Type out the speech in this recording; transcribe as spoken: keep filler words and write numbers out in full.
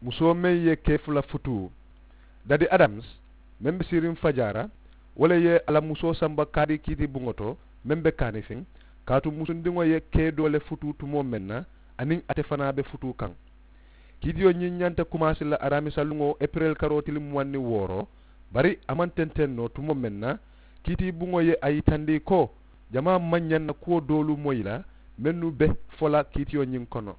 Musoo meŋ ye kee fula futuu. Dadi adams, meŋ be siiriŋ fajaara, wo le ye a la musoo samba kaari kiiti buŋo to, meŋ be kaanifiŋ, kaatu musundiŋo ye kee doo le futuu tumoo meŋ na, aniŋ ate fanaa be futuu kaŋ. Kiitiyo ñiŋ ñanta kumaasi la araamisa luŋo epirel karoo tili muwaŋ niŋ wooro, bari a maŋ tenteŋ noo tumoo meŋ na, kiiti buŋo ye a yitandi ko jamaa maŋ ñaŋ na kuwo doolu moyi la, mennu be fo la kiitiyo ñiŋ kono.